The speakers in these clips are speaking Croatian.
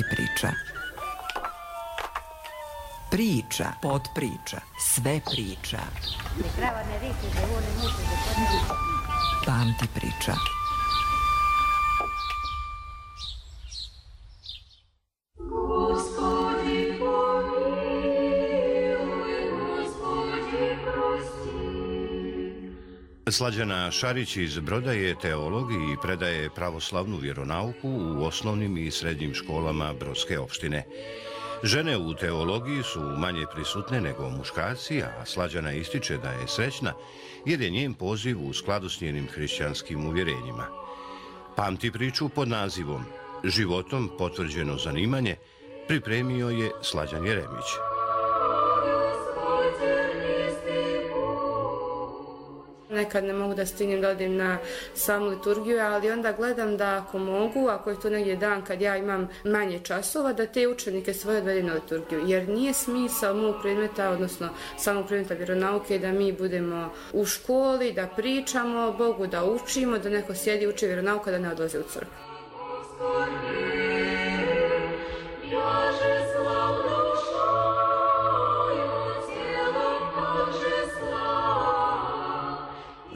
Pamti priča. Priča, potpriča, sve priča. Pamti priča. Slađana Šarić iz Broda je teolog i predaje pravoslavnu vjeronauku u osnovnim i srednjim školama Brodske opštine. Žene u teologiji su manje prisutne nego muškarci, a Slađana ističe da je srećna jer je njen poziv u skladu s njenim hrišćanskim uvjerenjima. Pamti priču pod nazivom Životom potvrđeno zanimanje pripremio je Slađan Jeremić. Nekad ne mogu da stignem da odim na samu liturgiju, ali onda gledam da ako mogu, ako je to negdje dan kad ja imam manje časova, da te učenike svoje odvedem na liturgiju. Jer nije smisao mog predmeta, odnosno samog predmeta vjeronauke, da mi budemo u školi, da pričamo Bogu, da učimo, da neko sjedi uči vjeronauku, da ne odlazi u crkvu.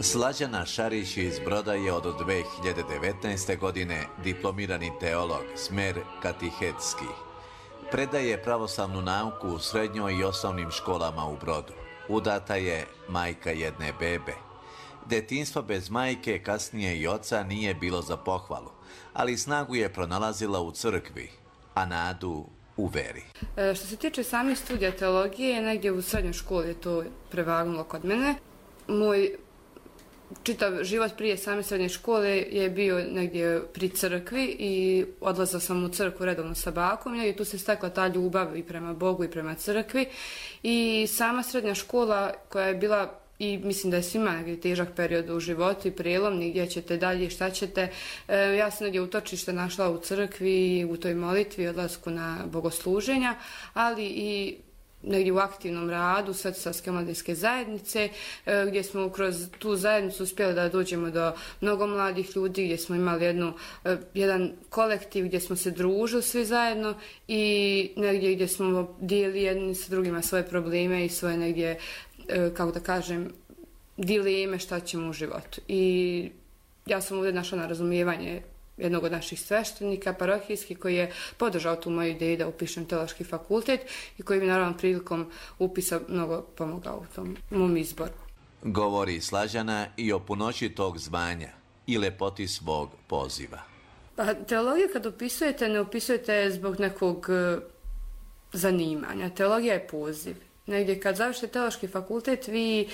Slađana Šarić iz Broda je od 2019. godine diplomirani teolog, smer katehetski. Predaje pravoslavnu nauku u srednjoj i osnovnim školama u Brodu. Udata je, majka jedne bebe. Detinjstvo bez majke, kasnije i oca, nije bilo za pohvalu, ali snagu je pronalazila u crkvi, a nadu u veri. Što se tiče samih studija teologije, negdje u srednjoj školi je to prevagnulo kod mene. Moj čitav život prije same srednje škole je bio negdje pri crkvi i odlazila sam u crkvu redovno sa bakom i tu se stekla ta ljubav i prema Bogu i prema crkvi. I sama srednja škola koja je bila, i mislim da je svima negdje težak period u životu i prijelomni, gdje ćete dalje, šta ćete. Ja sam negdje utočište našla u crkvi, u toj molitvi, odlasku na bogosluženja, ali i negdje u aktivnom radu Svetosavske mladinske zajednice, gdje smo kroz tu zajednicu uspjeli da dođemo do mnogo mladih ljudi, gdje smo imali jedan kolektiv gdje smo se družili svi zajedno i negdje gdje smo dijeli jedni sa drugima svoje probleme i svoje negdje, kako da kažem, dileme šta ćemo u životu. I ja sam ovdje našla na razumijevanje jednog od naših sveštenika parohijskih koji je podržao tu moju ideju da upišem teološki fakultet i koji mi naravno prilikom upisa mnogo pomogao u tom mom izboru. Govori Slađana i o punoći tog zvanja i lepoti svog poziva. Pa teologiju kad upisujete, ne upisujete zbog nekog zanimanja. Teologija je poziv. Negdje kad završite teološki fakultet, vi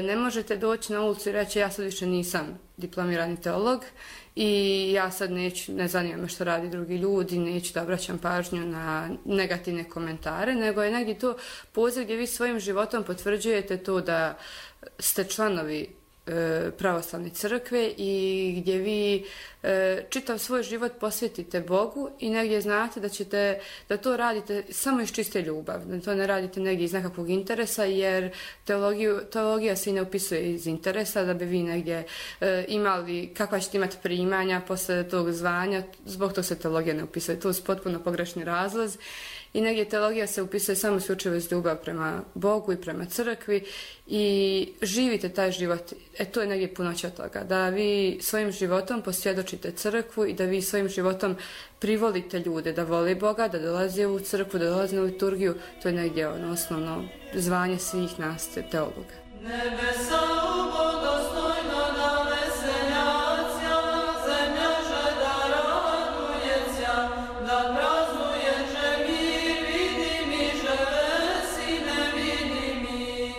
ne možete doći na ulicu i reći ja sad više nisam diplomirani teolog i ja sad ne zanima me što radi drugi ljudi, neću da obraćam pažnju na negativne komentare, nego je negdje to poziv gdje vi svojim životom potvrđujete to da ste članovi pravoslavne crkve i gdje vi čitav svoj život posvetite Bogu i negdje znate da to radite samo iz čiste ljubav, da to ne radite negdje iz nekakvog interesa, jer teologija se i ne upisuje iz interesa, da bi vi negdje imali, kakva ćete imati primanja posle tog zvanja, zbog toga se teologija ne upisuje, to su potpuno pogrešni razlozi. I negdje teologija se upisuje samo isključivo iz ljubav prema Bogu i prema crkvi i živite taj život. To je negdje punoća toga. Da vi svojim životom posvjedočite crkvu i da vi svojim životom privolite ljude da vole Boga, da dolaze u crkvu, da dolaze na liturgiju. To je negdje osnovno zvanje svih nas teologa. Nebesa bogostojno da veseljacija, zemlja žeda radujeća, da praznuje mir vidimi, želesi nevidimi.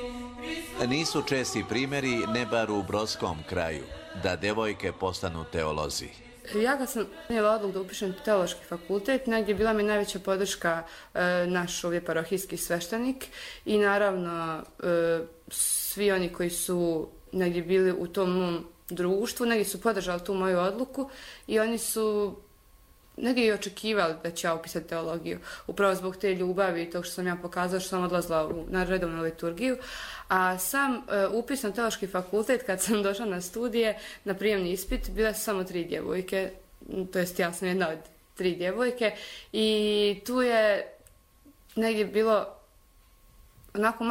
Nisu česti primjeri, ne bar u brodskom kraju, da devojke postanu teolozi. Ja kad sam imala odluku da upišem teološki fakultet, negdje bila mi najveća podrška naš ovdje parohijski sveštenik i naravno svi oni koji su negdje bili u tom mom društvu, negdje su podržali tu moju odluku i oni su negdje i očekivali da ću ja upisati teologiju. Upravo zbog te ljubavi i tog što sam ja pokazala, što sam odlazila na redovnu liturgiju. A sam upis na teološki fakultet, kad sam došla na studije, na prijemni ispit, bile su samo 3 djevojke, to jest ja sam jedna od 3 djevojke i tu je negdje bilo onako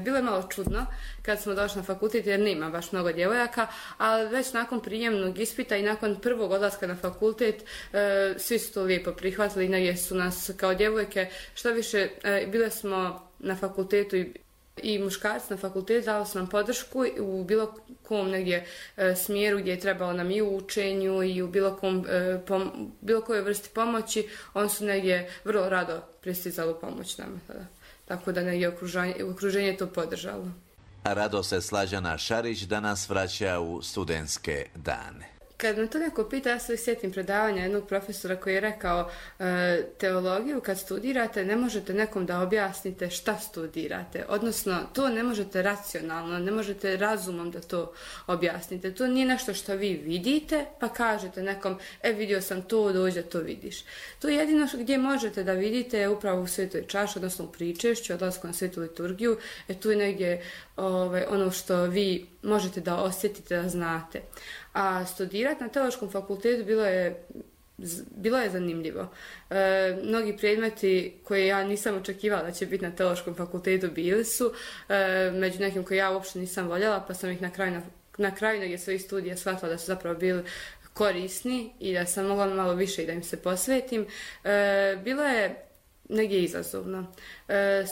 bilo je malo čudno kad smo došli na fakultet jer nema baš mnogo djevojaka, ali već nakon prijemnog ispita i nakon prvog odlaska na fakultet svi su to lijepo prihvatili i negdje su nas kao djevojke, što više bile smo na fakultetu i muškarci na fakultetu dali su nam podršku u bilo kom negdje smjeru gdje je trebalo nam i u učenju i u bilo kojoj vrsti pomoći, oni su negdje vrlo rado pristizali u pomoć nama tada. Tako da negdje okruženje to podržalo. Rado se Slađana Šarić danas vraća u studentske dane. Kad me to neko pita, ja se sjetim predavanja jednog profesora koji je rekao teologiju kad studirate ne možete nekom da objasnite šta studirate. Odnosno, to ne možete racionalno, ne možete razumom da to objasnite. To nije nešto što vi vidite pa kažete nekom, vidio sam to, dođe to vidiš. To je jedino gdje možete da vidite je upravo u svetoj čaši, odnosno u pričešću, odlasku na svetu liturgiju. Tu je negdje ono što vi možete da osjetite, da znate. A studirati na teološkom fakultetu bilo je zanimljivo. Mnogi predmeti koje ja nisam očekivala da će biti na teološkom fakultetu bili su, među nekim koje ja uopšte nisam voljela, pa sam ih na kraju negdje svojih studija shvatila da su zapravo bili korisni i da sam mogla malo više i da im se posvetim. Bilo je negdje izazovno.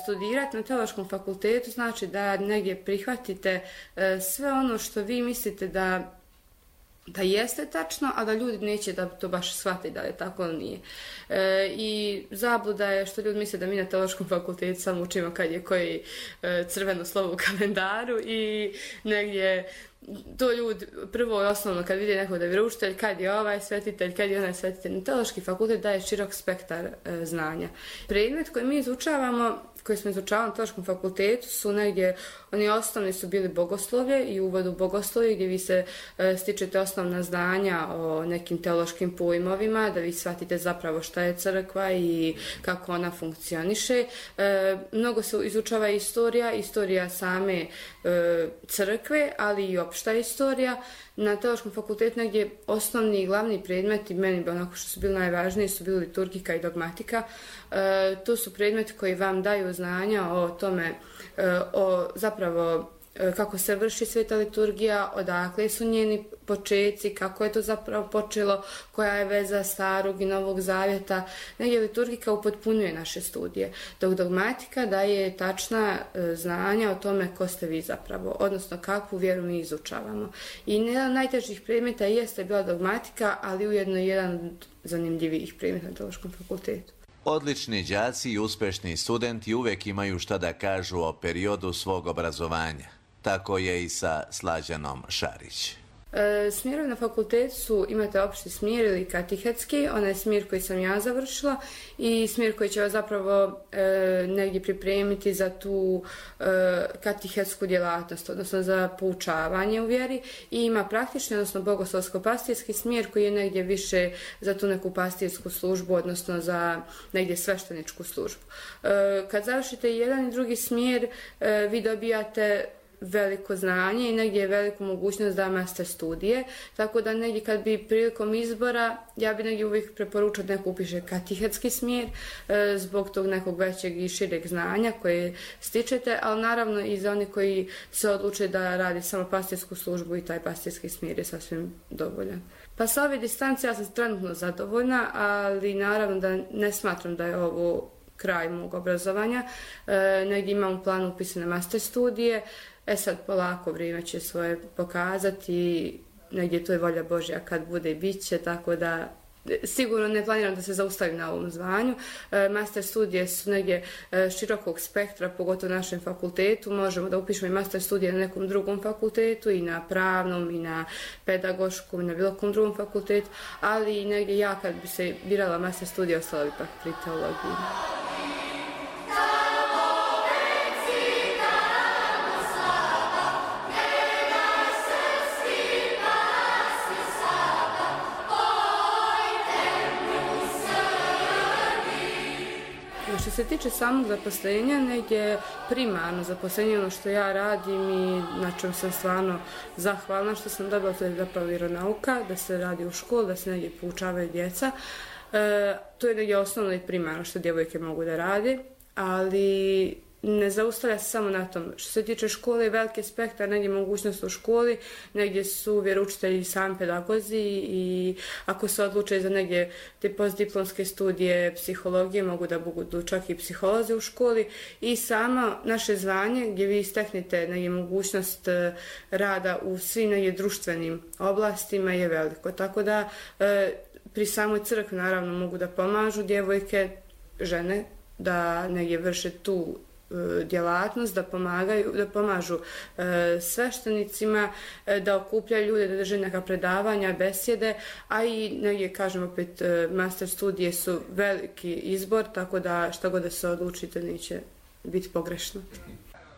Studirati na teološkom fakultetu znači da negdje prihvatite sve ono što vi mislite da jeste tačno, a da ljudi neće da to baš shvati da je tako ili nije. I zabluda je što ljudi misle da mi na teološkom fakultetu samo učimo kad je koji crveno slovo u kalendaru i negdje to ljudi prvo i osnovno kad vide nekog da je vjeroučitelj, kad je ovaj svetitelj, kad je onaj svetitelj. Teološki fakultet daje širok spektar znanja. Predmet koji mi izučavamo, koji smo izučavali na teološkom fakultetu su negdje, oni osnovni su bili bogoslovlje i uvod u bogoslovlje gdje vi se stičete osnovna znanja o nekim teološkim pojmovima, da vi shvatite zapravo šta je crkva i kako ona funkcioniše. Mnogo se izučava istorija same crkve, ali i opšta istorija. Na teološkom fakultetu negdje osnovni i glavni predmeti, meni bi onako što su bili najvažniji, su bili liturgika i dogmatika. To su predmeti koji vam daju znanja o tome, zapravo kako se vrši sveta liturgija, odakle su njeni počeci, kako je to zapravo počelo, koja je veza starog i novog zavjeta. Negdje liturgika upotpunjuje naše studije, dok dogmatika daje tačna znanja o tome ko ste vi zapravo, odnosno kakvu vjeru mi izučavamo. I jedan od najtežih predmeta jeste bila dogmatika, ali ujedno jedan od zanimljivijih predmeta na teološkom fakultetu. Odlični đaci i uspešni studenti uvijek imaju šta da kažu o periodu svog obrazovanja. Tako je i sa Slađanom Šarić. Smjerovi na fakultetu imate opšti smjer ili katehetski, onaj smjer koji sam ja završila i smjer koji će vas zapravo negdje pripremiti za tu katehetsku djelatnost, odnosno za poučavanje u vjeri, i ima praktični, odnosno bogoslovsko-pastirski smjer koji je negdje više za tu neku pastirsku službu, odnosno za negdje svešteničku službu. Kad završite jedan i drugi smjer, vi dobijate veliko znanje i negdje je veliku mogućnost da master studije, tako da negdje kad bi prilikom izbora, ja bi negdje uvijek preporučila da neko upiše katehetski smjer zbog tog nekog većeg i šireg znanja koje stičete, ali naravno i za oni koji se odluče da radi samo pastirsku službu i taj pastirski smjer je sasvim dovoljan. Pa sa ove distance ja sam trenutno zadovoljna, ali naravno da ne smatram da je ovo kraj mog obrazovanja. Negdje imam u planu upisane master studije. Sad polako vrijeme će svoje pokazati, negdje to je volja Božja kad bude i bit će, tako da sigurno ne planiram da se zaustavim na ovom zvanju. Master studije su negdje širokog spektra, pogotovo na našem fakultetu. Možemo da upišemo i master studije na nekom drugom fakultetu, i na pravnom, i na pedagoškom, i na bilo kom drugom fakultetu, ali negdje ja kad bi se birala master studije, ostala bi pak pri teologiji. Što se tiče samog zaposlenja, negdje primarno zaposlenje, ono što ja radim i na čem sam stvarno zahvalna što sam dobila, to je zapravo vjeronauka, da se radi u školi, da se negdje poučavaju djeca. To je negdje osnovno i primarno što djevojke mogu da rade, ali ne zaustavlja se samo na tom. Što se tiče škole, veliki spektar, negdje mogućnost u školi, negdje su vjeroučitelji i sami pedagozi i ako se odluče za negdje te postdiplomske studije psihologije, mogu da budu čak i psiholozi u školi i samo naše zvanje gdje vi steknete negdje mogućnost rada u svim negdje društvenim oblastima je veliko. Tako da pri samoj crkvi naravno mogu da pomažu djevojke, žene, da negdje vrše tu djelatnost, da pomažu sveštenicima, da okupljaju ljude, da drže neka predavanja, besjede, a i negdje, kažem opet, master studije su veliki izbor, tako da šta god da se odlučite neće biti pogrešno.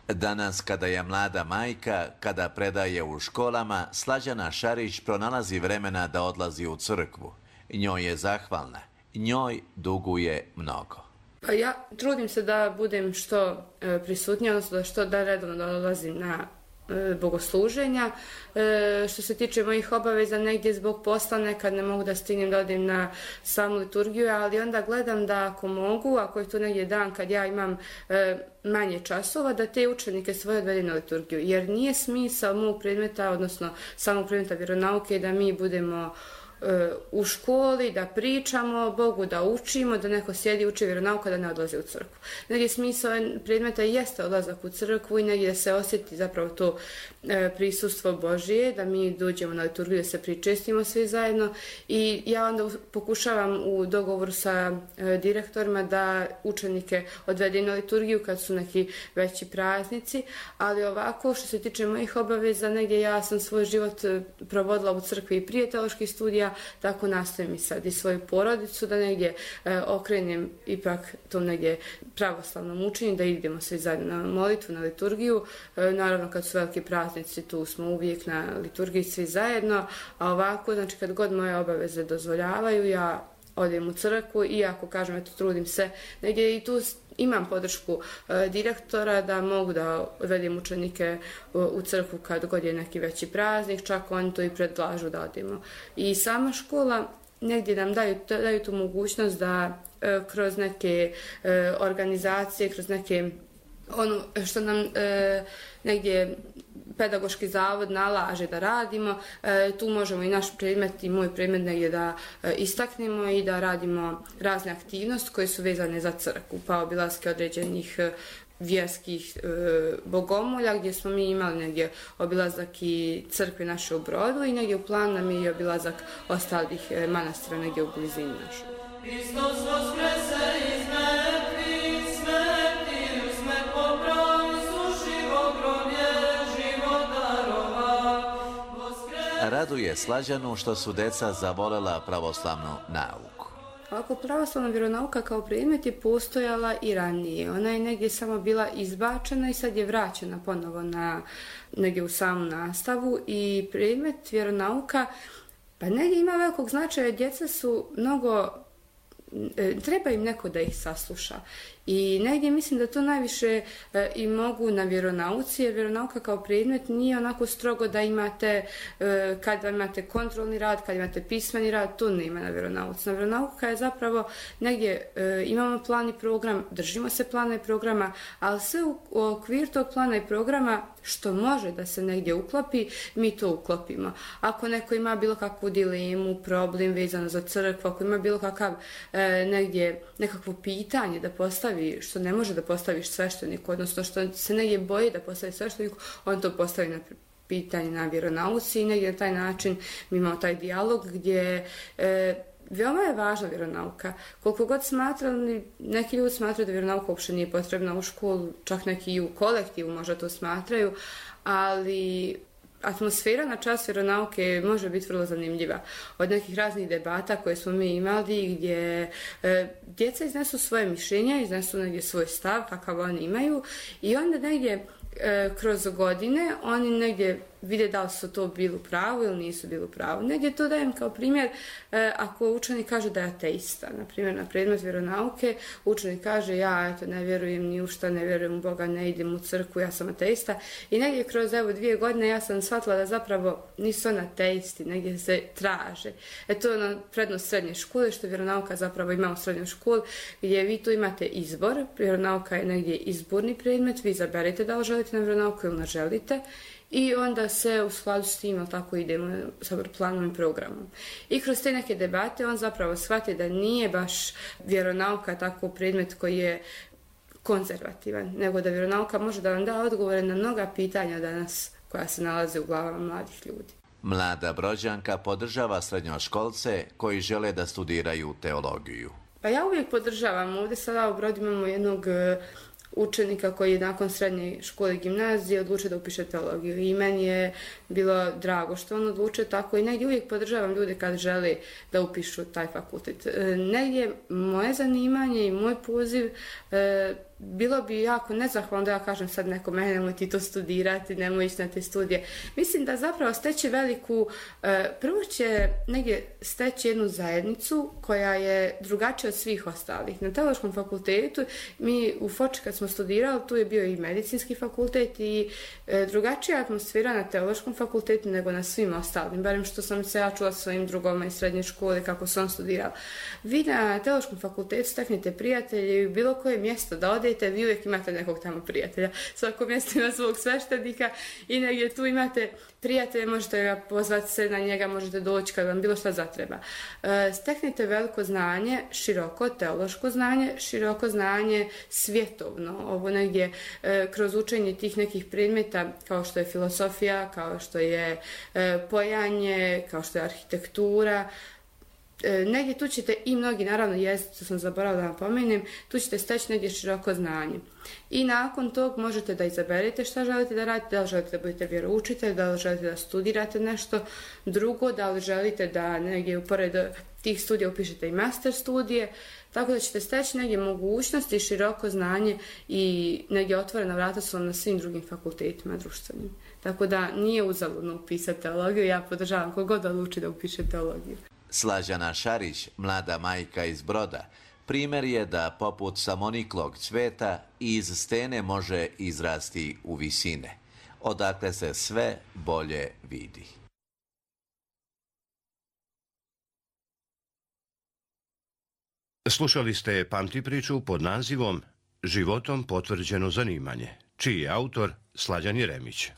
Danas, kada je mlada majka, kada predaje u školama, Slađana Šarić pronalazi vremena da odlazi u crkvu. Njoj je zahvalna, njoj duguje mnogo. Pa ja trudim se da budem što prisutnija, odnosno da redovno dolazim na bogosluženja. Što se tiče mojih obaveza, negdje zbog posla nekad ne mogu da stignem da odim na samu liturgiju, ali onda gledam da ako mogu, ako je to negdje dan kad ja imam manje časova, da te učenike svoje odvedem na liturgiju. Jer nije smisao mog predmeta, odnosno samog predmeta vjeronauke, da mi budemo u školi, da pričamo Bogu, da učimo, da neko sjedi uči vjeronauku, da ne odlazi u crkvu. Negdje smisao predmeta jeste odlazak u crkvu i negdje da se osjeti zapravo to prisustvo Božije, da mi dođemo na liturgiju, da se pričestimo svi zajedno i ja onda pokušavam u dogovoru sa direktorima da učenike odvedem na liturgiju kad su neki veći praznici, ali ovako što se tiče mojih obaveza, negdje ja sam svoj život provodila u crkvi i prije teoloških studija, tako nastavim i sad i svoju porodicu da negdje okrenem ipak tom negdje pravoslavnom učenju, da idemo svi zajedno na molitvu, na liturgiju. Naravno kad su veliki praznici tu smo uvijek na liturgiji svi zajedno, a ovako znači kad god moje obaveze dozvoljavaju ja odem u crkvu i ako kažem eto trudim se negdje i tu imam podršku direktora da mogu da odvedem učenike u crkvu kad god je neki veći praznik, čak oni to i predlažu da odemo. I sama škola negdje nam daju tu mogućnost da kroz neke organizacije, kroz neke ono što nam negdje pedagoški zavod nalaže da radimo, tu možemo i naš predmet i moj predmet negdje da istaknemo i da radimo razne aktivnosti koje su vezane za crkvu, pa obilaske određenih vjerskih bogomolja gdje smo mi imali negdje obilazak i crkve naše u Brodu i negdje u planu nam je i obilazak ostalih manastira negdje u blizini našu. Hristos voskrese iz mrtvih, smrti usmet popravi, sušivo groblje život darova. Raduje Slađanu što su deca zavolela pravoslavnu nauku. Ovako, pravoslavna vjeronauka kao predmet je postojala i ranije. Ona je negdje samo bila izbačena i sad je vraćena ponovo negdje u samu nastavu i predmet vjeronauka pa negdje ima velikog značaja. Djeca su mnogo, treba im neko da ih sasluša. I negdje mislim da to najviše i mogu na vjeronauci, jer vjeronauka kao predmet nije onako strogo da imate, kad imate kontrolni rad, kad imate pismeni rad, to nema na vjeronauci. Na vjeronauka je zapravo negdje imamo plan i program, držimo se plana i programa, ali sve u okvir tog plana i programa što može da se negdje uklopi, mi to uklopimo. Ako neko ima bilo kakvu dilemu, problem vezano za crkvu, ako ima bilo kakav negdje nekakvo pitanje da postavi, što ne može da postaviš svešteniku, odnosno što se negdje boji da postavi svešteniku, on to postavi na pitanje na vjeronauci i negdje na taj način mi imamo taj dijalog gdje veoma je važna vjeronauka. Koliko god smatrali, neki ljudi smatraju da vjeronauka uopšte nije potrebna u školu, čak neki i u kolektivu možda to smatraju, ali atmosfera na čas vjeronauke može biti vrlo zanimljiva. Od nekih raznih debata koje smo mi imali gdje djeca iznesu svoje mišljenja, iznesu negdje svoj stav kakav oni imaju i onda negdje kroz godine oni negdje vide da li su to bili u pravu ili nisu bili u pravu. Negdje to dajem kao primjer, ako učenik kaže da je ateista, na primjer na predmet vjeronauke, učenik kaže ja eto ne vjerujem ni u šta, ne vjerujem u Boga, ne idem u crkvu, ja sam ateista. I negdje kroz 2 godine ja sam shvatila da zapravo nisu oni ateisti, negdje se traže. To je ona prednost srednje škole, što vjeronauka zapravo ima u srednjoj školi, gdje vi tu imate izbor. Vjeronauka je negdje izborni predmet, vi izaberete da li želite na vjeronauku ili ne želite. I onda se u skladu s tim, tako idemo sa planom i programom. I kroz te neke debate on zapravo shvati da nije baš vjeronauka tako predmet koji je konzervativan, nego da vjeronauka može da vam da odgovore na mnoga pitanja danas koja se nalaze u glavama mladih ljudi. Mlada Brođanka podržava srednjoškolce koji žele da studiraju teologiju. Pa ja uvijek podržavam. Ovdje sada u Brodu imamo jednog učenika koji je nakon srednje škole i gimnazije odlučio da upiše teologiju. I meni je bilo drago što on odlučio tako i negdje uvijek podržavam ljude kad žele da upišu taj fakultet. Negdje moje zanimanje i moj poziv bilo bi jako nezahvalno da ja kažem sad nekome nemoj ti to studirati, nemoj ići na te studije. Mislim da zapravo steći veliku, prvo će negdje steći jednu zajednicu koja je drugačija od svih ostalih. Na teološkom fakultetu, mi u Foči kad smo studirali, tu je bio i medicinski fakultet i drugačija atmosfera na teološkom fakultetu nego na svim ostalim, barem što sam se ja čula svojim drugoma iz srednje škole kako su on studirali. Vi na teološkom fakultetu steknete prijatelje i u bilo koje mjesto da odete, vi uvijek imate nekog tamo prijatelja. Svako mjesto ima svog sveštenika i negdje tu imate prijatelje, možete ga pozvati se na njega, možete doći kad vam bilo šta zatreba. Steknite veliko znanje, široko teološko znanje, široko znanje svjetovno. Ovo negdje kroz učenje tih nekih predmeta kao što je filosofija, kao što je pojanje, kao što je arhitektura. Negdje tu ćete i mnogi, naravno jezik, to sam zaboravila da vam pomenem, tu ćete steći negdje široko znanje. I nakon tog možete da izaberete šta želite da radite, da li želite da budete vjeroučitelj, da li želite da studirate nešto drugo, da li želite da negdje pored tih studija upišete i master studije, tako da ćete steći negdje mogućnosti, široko znanje i negdje otvorena vrata su vam na svim drugim fakultetima društvenim. Tako da nije uzaludno upisati teologiju, ja podržavam kogod odluči da upiše teologiju. Slađana Šarić, mlada majka iz Broda, primjer je da poput samoniklog cveta iz stene može izrasti u visine, odakle se sve bolje vidi. Slušali ste Pamti priču pod nazivom Životom potvrđeno zanimanje, čiji je autor Slađan Jeremić.